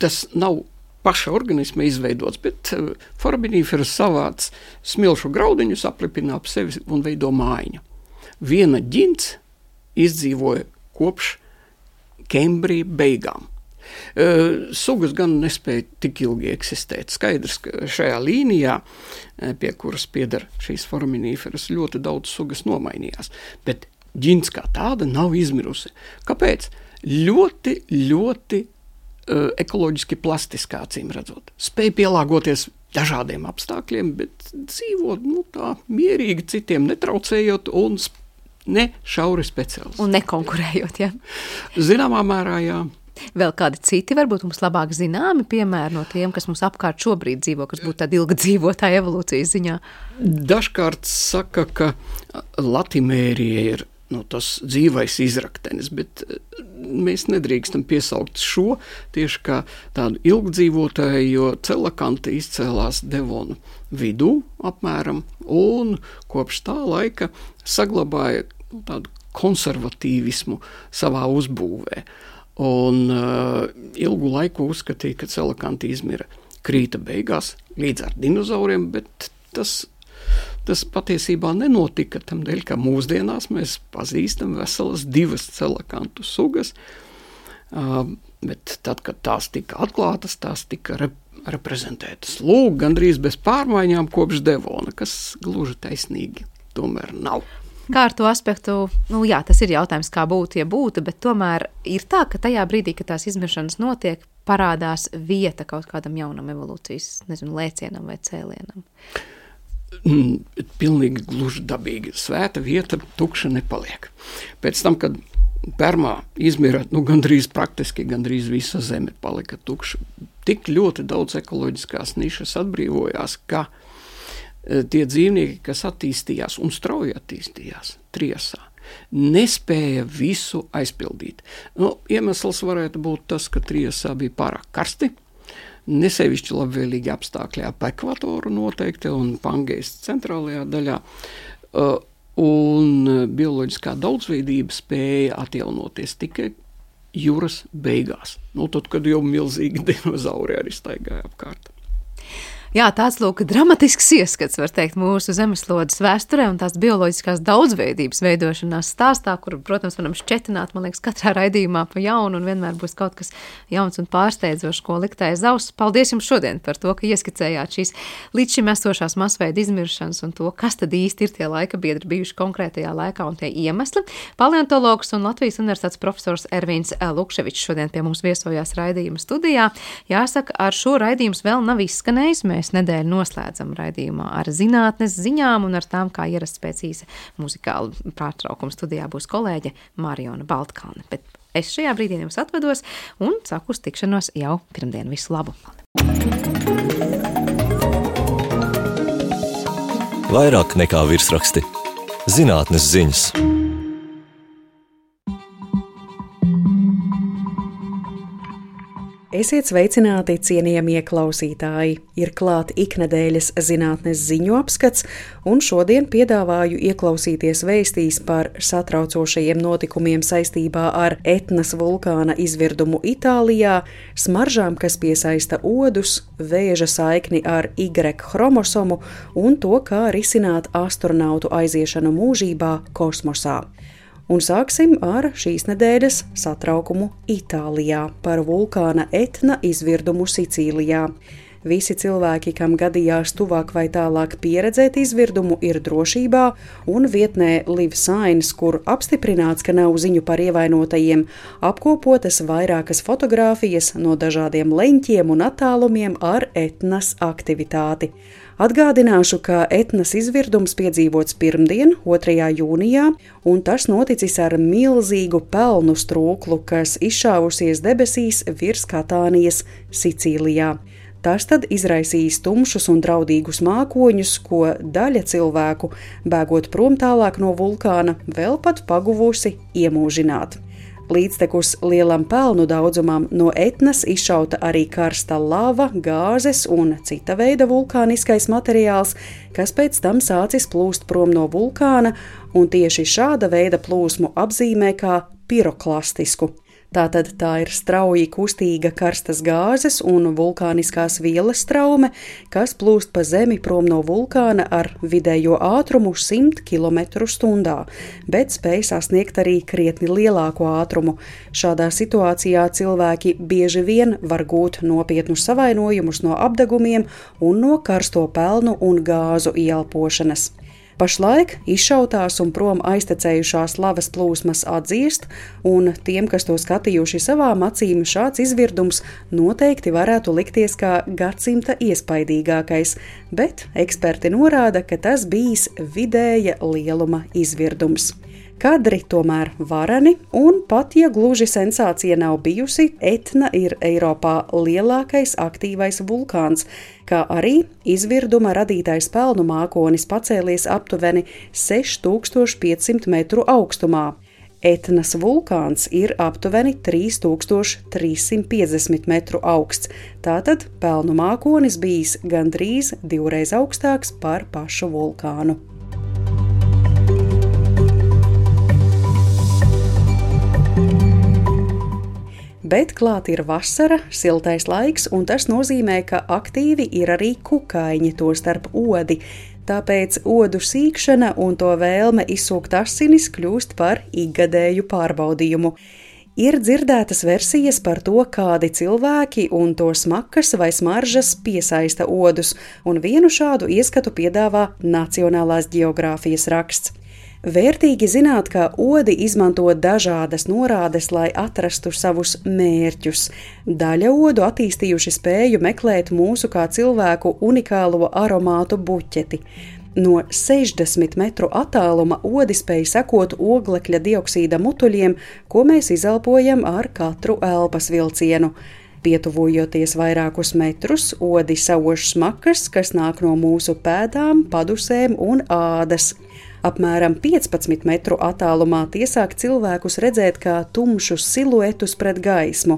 Tas nav paša organisma izveidots, bet foraminiferas savāc smilšu graudiņus, aplipina ap sevi un veido mājiņu. Viena ģints izdzīvoja kopš Kembrija beigām. Sugas gan nespēja tik ilgi eksistēt. Skaidrs, ka šajā līnijā, pie kuras pieder šīs foraminiferas, ļoti daudz sugas nomainījās, bet ģints kā tāda nav izmirusi. Kāpēc? Ļoti, ļoti uh, ekoloģiski plastiskā, acīm redzot. Spēja pielāgoties dažādiem apstākļiem, bet dzīvot, nu, tā mierīgi citiem netraucējot un ne šauri speciāls. Un nekonkurējot, jā. Zināmā mērā, jā. Vēl kādi citi varbūt mums labāk zināmi piemēri no tiem, kas mums apkārt šobrīd dzīvo, kas būtu tādi ilga dzīvotāji evolūcijas ziņā? Dažkārt saka, ka Latimērija ir, nu, tas dzīvais izraktenis, bet mēs nedrīkstam piesaukt šo tieši kā tādu ilgdzīvotāju, jo celakanti izcēlās Devonu vidū apmēram, un kopš tā laika saglabāja, nu, tādu konservatīvismu savā uzbūvē. Un uh, ilgu laiku uzskatīja, ka celakanti izmira krīta beigās līdz ar dinozauriem, bet tas, tas patiesībā nenotika tam dēļ, ka mūsdienās mēs pazīstam veselas divas celakantu sugas, uh, bet tad, kad tās tika atklātas, tās tika rep- reprezentētas. Lūk, gandrīz bez pārmaiņām kopš Devona, kas gluži taisnīgi tomēr nav. Kā ar to aspektu, nu jā, tas ir jautājums, kā būtu, ja būtu, bet tomēr ir tā, ka tajā brīdī, kad tās izmiršanas notiek, parādās vieta kaut kādam jaunam evolūcijas, nezinu, lēcienam vai cēlienam. Mm, pilnīgi gluži dabīgi. Svēta vieta tukša nepaliek. Pēc tam, kad Permā izmira, nu, gandrīz praktiski, gandrīz visa zeme palika tukša. Tik ļoti daudz ekoloģiskās nišas atbrīvojās, ka tie dzīvnieki, kas attīstījās un strauji attīstījās Triasā, nespēja visu aizpildīt. Nu, iemesls varētu būt tas, ka Triasā bija pārāk karsti, nesevišķi labvēlīgi apstākļi ap ekvatoru noteikti un Pangejas centrālajā daļā, un bioloģiskā daudzveidība spēja atjaunoties tikai jūras beigās. Nu, tad, kad jau milzīgi dinozauri arī staigāja apkārt. Jā, tāds lūk dramatisks ieskats, var teikt, mūsu zemeslodes vēsturē un tās bioloģiskās daudzveidības veidošanās stāstā, kuru, protams, varam šķetināt, man liekas, katrā raidījumā pa jaunu un vienmēr būs kaut kas jauns un pārsteidzošs, ko likt aiz auss. Paldies jums šodien par to, ka ieskicējāt šīs līdz šim esošās masveida izmiršanas un to, kas tad īsti ir tie laika biedri bijuši konkrētajā laikā un tie iemesli. Paleontologs un Latvijas universitātes profesors Ervīns Lukševičs šodien pie mums viesojās raidījuma studijā. Jāsaka, ar šo raidījums vēl nav izskanējis. Mēs nedēļu noslēdzam raidījumā ar zinātnes ziņām un ar tām, kā ierasts pēc īsa muzikāla pārtraukuma studijā būs kolēģe Mariona Baltkalne. Bet es šajā brīdī jums atvedos un saku uz tikšanos jau pirmdien. Visu labu! Vairāk nekā virsraksti. Zinātnes ziņas. Esiet sveicināti, cienījamie klausītāji! Ir klāt iknedēļas zinātnes ziņu apskats, un šodien piedāvāju ieklausīties vēstīs par satraucošajiem notikumiem saistībā ar Etnas vulkāna izvirdumu Itālijā, smaržām, kas piesaista odus, vēža saikni ar Y chromosomu un to, kā risināt astronautu aiziešanu mūžībā kosmosā. Un sāksim ar šīs nedēļas satraukumu Itālijā par vulkāna Etna izvirdumu Sicīlijā. Visi cilvēki, kam gadījās tuvāk vai tālāk pieredzēt izvirdumu, ir drošībā, un vietnē Live Science, kur apstiprināts, ka nav ziņu par ievainotajiem, apkopotas vairākas fotogrāfijas no dažādiem leņķiem un attālumiem ar Etnas aktivitāti. Atgādināšu, ka Etnas izvirdums piedzīvots pirmdien, otrajā jūnijā, un tas noticis ar milzīgu pelnu strūklu, kas izšāvusies debesīs virs Katānijas, Sicīlijā. Tas tad izraisījis tumšus un draudīgus mākoņus, ko daļa cilvēku, bēgot prom tālāk no vulkāna, vēl pat paguvusi iemūžināt. Līdztekus lielam pelnu daudzumam no Etnas izšauta arī karsta lava, gāzes un cita veida vulkāniskais materiāls, kas pēc tam sācis plūst prom no vulkāna, un tieši šāda veida plūsmu apzīmē kā piroklastisku. Tātad tā ir strauji kustīga karstas gāzes un vulkāniskās vielas straume, kas plūst pa zemi prom no vulkāna ar vidējo ātrumu simt kilometru stundā, bet spēj sasniegt arī krietni lielāku ātrumu. Šādā situācijā cilvēki bieži vien var gūt nopietnus savainojumus no apdegumiem un no karsto pelnu un gāzu ieelpošanas. Pašlaik izšautās un prom aiztecējušās lavas plūsmas atdziest, un tiem, kas to skatījuši savām acīm, šāds izvirdums noteikti varētu likties kā gadsimta iespaidīgākais, bet eksperti norāda, ka tas bijis vidēja lieluma izvirdums. Kadri tomēr vareni, un pat ja gluži sensācija nav bijusi, Etna ir Eiropā lielākais aktīvais vulkāns, kā arī izvirduma radītais pelnu mākonis pacēlies aptuveni seši tūkstoši piecsimt metru augstumā. Etnas vulkāns ir aptuveni trīs tūkstoši trīs simt piecdesmit metru augsts, tātad pelnu mākonis bijis gandrīz divreiz augstāks par pašu vulkānu. Bet klāt ir vasara, siltais laiks, un tas nozīmē, ka aktīvi ir arī kukaiņi, tostarp odi. Tāpēc odu sīkšana un to vēlme izsūkt asinis kļūst par ikgadēju pārbaudījumu. Ir dzirdētas versijas par to, kādi cilvēki un to smakas vai smaržas piesaista odus, un vienu šādu ieskatu piedāvā Nacionālās ģeogrāfijas raksts. Vērtīgi zināt, ka odi izmanto dažādas norādes, lai atrastu savus mērķus. Daļa odu attīstījuši spēju meklēt mūsu kā cilvēku unikālo aromātu buķeti. No sešdesmit metru attāluma odi spēj sekot oglekļa dioksīda mutuļiem, ko mēs izelpojam ar katru elpas vilcienu. Pietuvojoties vairākus metrus, odi sauž smakas, kas nāk no mūsu pēdām, padusēm un ādas. Apmēram piecpadsmit metru attālumā tie sāk cilvēkus redzēt kā tumšus siluetus pret gaismu.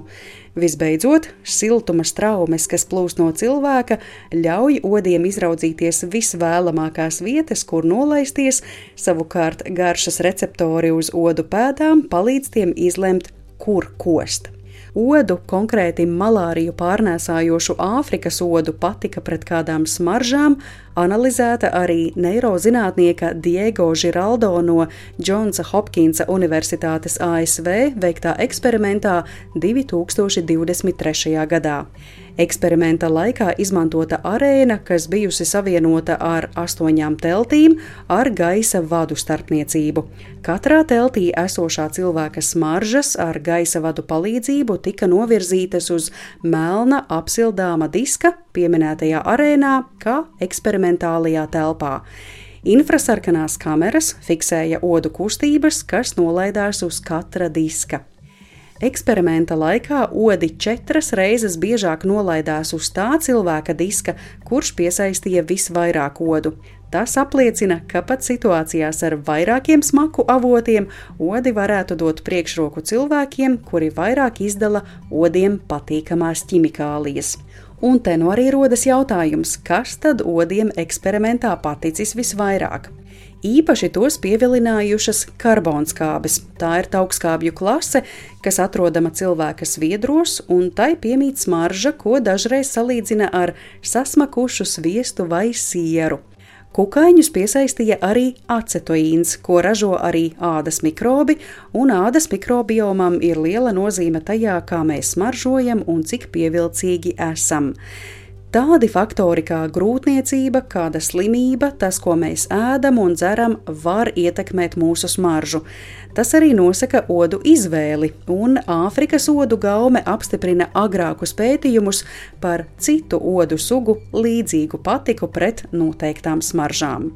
Visbeidzot, siltuma straumes, kas plūst no cilvēka, ļauj odiem izraudzīties visvēlamākās vietas, kur nolaisties, savukārt garšas receptori uz odu pēdām palīdz tiem izlemt, kur kost. Odu, konkrēti malāriju pārnēsājošu Āfrikas odu patika pret kādām smaržām, analizēta arī neirozinātnieka Diego Giraldo no Džonsa Hopkinsa Universitātes A S V veiktā eksperimentā divi tūkstoši divdesmit trešajā gadā. Eksperimenta laikā izmantota arēna, kas bijusi savienota ar astoņām teltīm ar gaisa vadu starpniecību. Katrā teltī esošā cilvēka smaržas ar gaisa vadu palīdzību tika novirzītas uz melna apsildāma diska pieminētajā arēnā, kā eksperimentālajā telpā. Infrasarkanās kameras fiksēja odu kustības, kas nolaidās uz katra diska. Eksperimenta laikā odi četras reizes biežāk nolaidās uz tā cilvēka diska, kurš piesaistīja visvairāk odu. Tas apliecina, ka pat situācijās ar vairākiem smaku avotiem odi varētu dot priekšroku cilvēkiem, kuri vairāk izdala odiem patīkamās ķimikālijas. Un te nu arī rodas jautājums, kas tad odiem eksperimentā paticis visvairāk? Īpaši tos pievilinājušas karbonskābes. Tā ir taukskābju klase, kas atrodama cilvēka sviedros, un tai piemīt smarža, ko dažreiz salīdzina ar sasmakušu sviestu vai sieru. Kukaiņus piesaistīja arī acetoīns, ko ražo arī ādas mikrobi, un ādas mikrobiomam ir liela nozīme tajā, kā mēs smaržojam un cik pievilcīgi esam. Tādi faktori kā grūtniecība, kāda slimība, tas, ko mēs ēdam un dzeram, var ietekmēt mūsu smaržu. Tas arī nosaka odu izvēli, un Āfrikas odu gaume apstiprina agrākus pētījumus par citu odu sugu līdzīgu patiku pret noteiktām smaržām.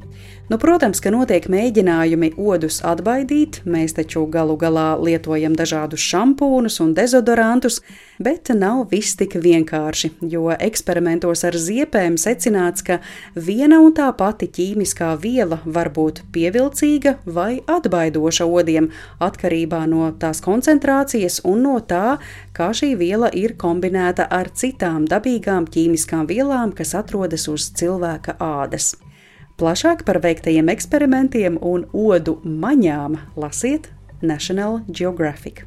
Nu, protams, ka notiek mēģinājumi odus atbaidīt, mēs taču galu galā lietojam dažādus šampūnus un dezodorantus, bet nav viss tik vienkārši, jo eksperimentos ar ziepēm secināts, ka viena un tā pati ķīmiskā viela var būt pievilcīga vai atbaidoša odiem, atkarībā no tās koncentrācijas un no tā, kā šī viela ir kombinēta ar citām dabīgām ķīmiskām vielām, kas atrodas uz cilvēka ādas. Plašāk par veiktajiem eksperimentiem un odu maņām lasiet National Geographic.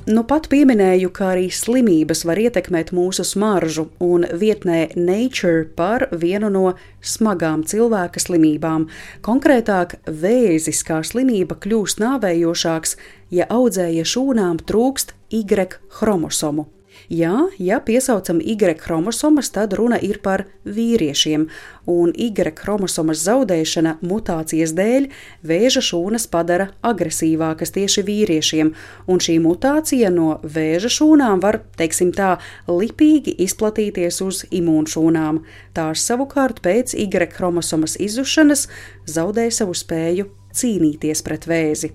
Nu pat pieminēju, ka arī slimības var ietekmēt mūsu smaržu, un vietnē Nature par vienu no smagām cilvēka slimībām. Konkrētāk, vēzis kā slimība kļūst nāvējošāks, ja audzēja šūnām trūkst Y chromosomu. Jā, ja piesaucam Y chromosomas, tad runa ir par vīriešiem, un Y chromosomas zaudēšana mutācijas dēļ vēža šūnas padara agresīvākas tieši vīriešiem, un šī mutācija no vēža šūnām var, teiksim tā, lipīgi izplatīties uz imūnšūnām. Tās savukārt pēc Y chromosomas izzušanas zaudē savu spēju cīnīties pret vēzi.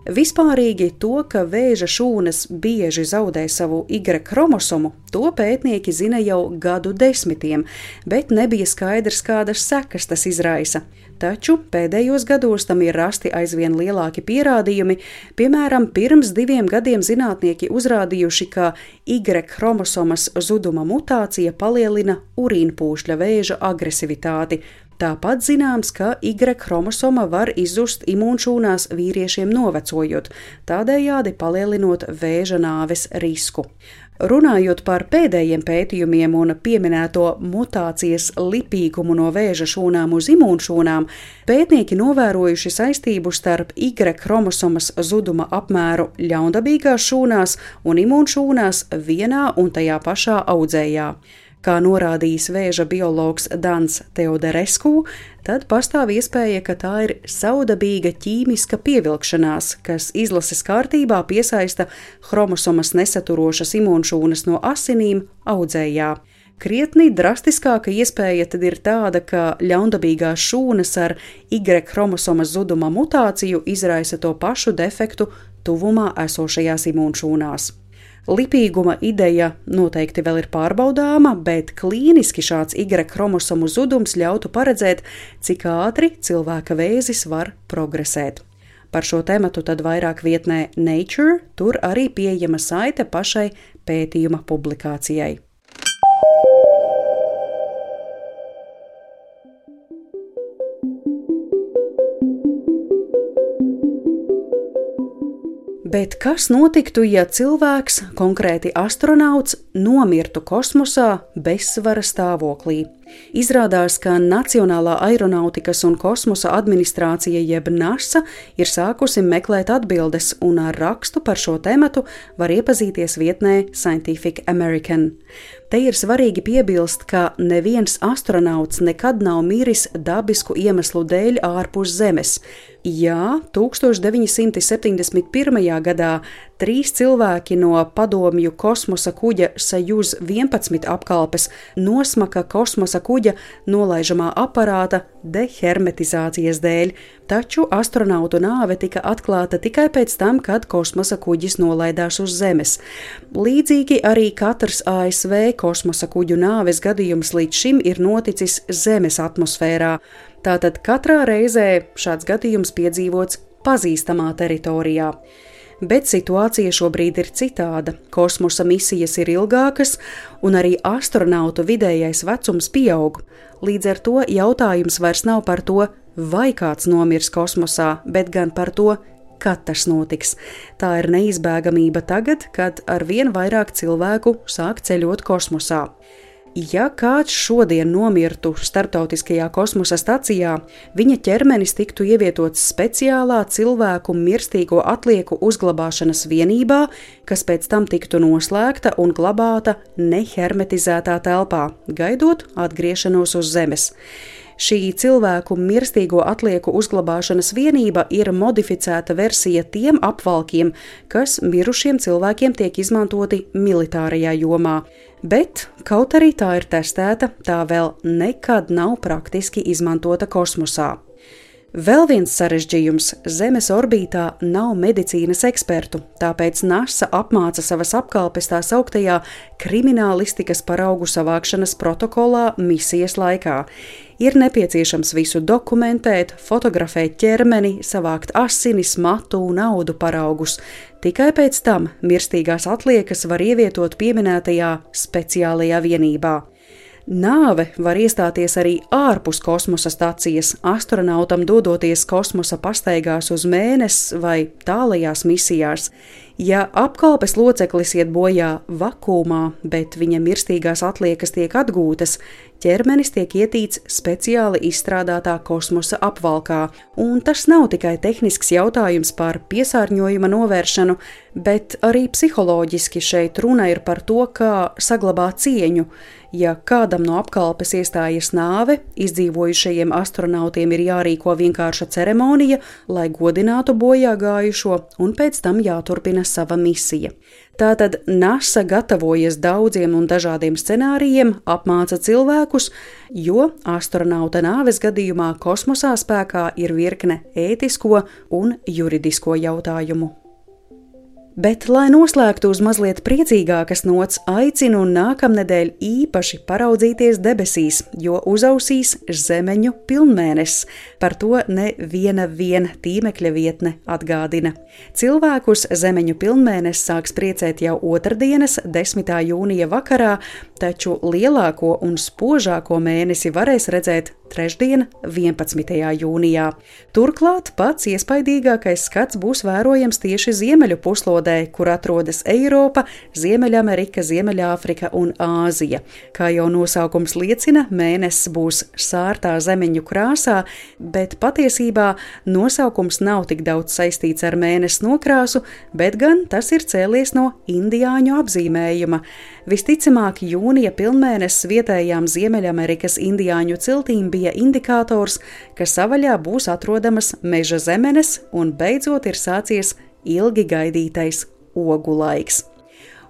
Vispārīgi to, ka vēža šūnas bieži zaudē savu Y chromosomu, to pētnieki zina jau gadu desmitiem, bet nebija skaidrs, kādas sekas tas izraisa. Taču pēdējos gados tam ir rasti aizvien lielāki pierādījumi, piemēram, pirms diviem gadiem zinātnieki uzrādījuši, ka Y chromosomas zuduma mutācija palielina urīnpūšļa vēža agresivitāti. Tāpat zināms, ka Y chromosoma var izzust imūnšūnās vīriešiem novecojot, tādējādi palielinot vēža nāves risku. Runājot par pēdējiem pētījumiem un pieminēto mutācijas lipīgumu no vēža šūnām uz imūnšūnām, pētnieki novērojuši saistību starp Y chromosomas zuduma apmēru ļaundabīgās šūnās un imūnšūnās vienā un tajā pašā audzējā. Kā norādījis vēža biologs Dans Teodorescu, tad pastāv iespēja, ka tā ir savdabīga ķīmiska pievilkšanās, kas izlases kārtībā piesaista chromosomas nesaturošas imūnšūnas no asinīm audzējā. Krietni drastiskāka iespēja tad ir tāda, ka ļaundabīgās šūnas ar Y chromosomas zuduma mutāciju izraisa to pašu defektu tuvumā esošajās imūnšūnās. Lipīguma ideja noteikti vēl ir pārbaudāma, bet klīniski šāds Y chromosomu zudums ļautu paredzēt, cik ātri cilvēka vēzis var progresēt. Par šo tematu tad vairāk vietnē Nature, tur arī pieejama saite pašai pētījuma publikācijai. Bet kas notiktu, ja cilvēks, konkrēti astronauts, nomirtu kosmosā bezsvara stāvoklī? Izrādās, ka Nacionālā aeronautikas un kosmosa administrācija jeb NASA ir sākusi meklēt atbildes, un ar rakstu par šo tematu var iepazīties vietnē Scientific American. Te ir svarīgi piebilst, ka neviens astronauts nekad nav miris dabisku iemeslu dēļ ārpus Zemes. Jā, tūkstoš deviņi simti septiņdesmit pirmajā gadā trīs cilvēki no padomju kosmosa kuģa Sajuz vienpadsmit apkalpes nosmaka kosmosa kuģa nolaižamā aparāta dehermetizācijas dēļ, taču astronautu nāve tika atklāta tikai pēc tam, kad kosmosa kuģis nolaidās uz Zemes. Līdzīgi arī katrs A S V kosmosa kuģu nāves gadījums līdz šim ir noticis Zemes atmosfērā. Tātad katrā reizē šāds gadījums piedzīvots pazīstamā teritorijā. Bet situācija šobrīd ir citāda. Kosmosa misijas ir ilgākas, un arī astronautu vidējais vecums pieaug. Līdz ar to jautājums vairs nav par to, vai kāds nomirs kosmosā, bet gan par to, kad tas notiks. Tā ir neizbēgamība tagad, kad arvien vairāk cilvēku sāk ceļot kosmosā. Ja kāds šodien nomirtu starptautiskajā kosmosa stacijā, viņa ķermenis tiktu ievietots speciālā cilvēku mirstīgo atlieku uzglabāšanas vienībā, kas pēc tam tiktu noslēgta un glabāta nehermetizētā telpā, gaidot atgriešanos uz Zemes. Šī cilvēku mirstīgo atlieku uzglabāšanas vienība ir modificēta versija tiem apvalkiem, kas mirušiem cilvēkiem tiek izmantoti militārajā jomā. Bet, kaut arī tā ir testēta, tā vēl nekad nav praktiski izmantota kosmosā. Vēl viens sarežģījums – Zemes orbītā nav medicīnas ekspertu, tāpēc NASA apmāca savas apkalpes tā sauktajā kriminālistikas paraugu savākšanas protokolā misijas laikā. Ir nepieciešams visu dokumentēt, fotografēt ķermeni, savākt asinis, matu un audu paraugus. Tikai pēc tam mirstīgās atliekas var ievietot pieminētajā speciālajā vienībā. Nāve var iestāties arī ārpus kosmosa stacijas, astronautam dodoties kosmosa pastaigās uz Mēnesi vai tālajās misijās. Ja apkalpes loceklis iet bojā vakuumā, bet viņa mirstīgās atliekas tiek atgūtas, ķermenis tiek ietīts speciāli izstrādātā kosmosa apvalkā, un tas nav tikai tehnisks jautājums par piesārņojuma novēršanu, bet arī psiholoģiski šeit runa ir par to, kā saglabāt cieņu. Ja kādam no apkalpes iestājas nāve, izdzīvojušajiem astronautiem ir jārīko vienkārša ceremonija, lai godinātu bojā gājušo, un pēc tam jāturpina sava misija. Tātad NASA gatavojas daudziem un dažādiem scenārijiem, apmāca cilvēkus, jo astronauta nāves gadījumā kosmosā spēkā ir virkne ētisko un juridisko jautājumu. Bet, lai noslēgtu uz mazliet priecīgākas nots, aicinu nākamnedēļ īpaši paraudzīties debesīs, jo uzausīs Zemeņu pilnmēnesis. Par to neviena vien tīmekļa vietne atgādina. Cilvēkus Zemeņu pilnmēnesis sāks priecēt jau otrdienas, desmitā jūnija vakarā, taču lielāko un spožāko mēnesi varēs redzēt trešdien, vienpadsmitajā jūnijā. Turklāt pats iespaidīgākais skats būs vērojams tieši ziemeļu puslodē, kur atrodas Eiropa, Ziemeļamerika, Ziemeļāfrika un Āzija. Kā jau nosaukums liecina, mēnesis būs sārtā zemeņu krāsā, bet patiesībā nosaukums nav tik daudz saistīts ar mēnesi nokrāsu, bet gan tas ir cēlies no indiāņu apzīmējuma. Visticamāk, jūnija pilnmēnesis vietējām Ziemeļamerikas indiāņu ciltīm bija indikators, ka savaļā būs atrodamas meža zemenes un beidzot ir sācies ilgi gaidītais ogu laiks.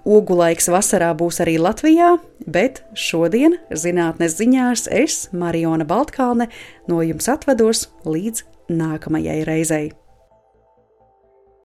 Ogu laiks vasarā būs arī Latvijā, bet šodien zinātnes ziņās es, Mariona Baltkalne, no jums atvados līdz nākamajai reizei.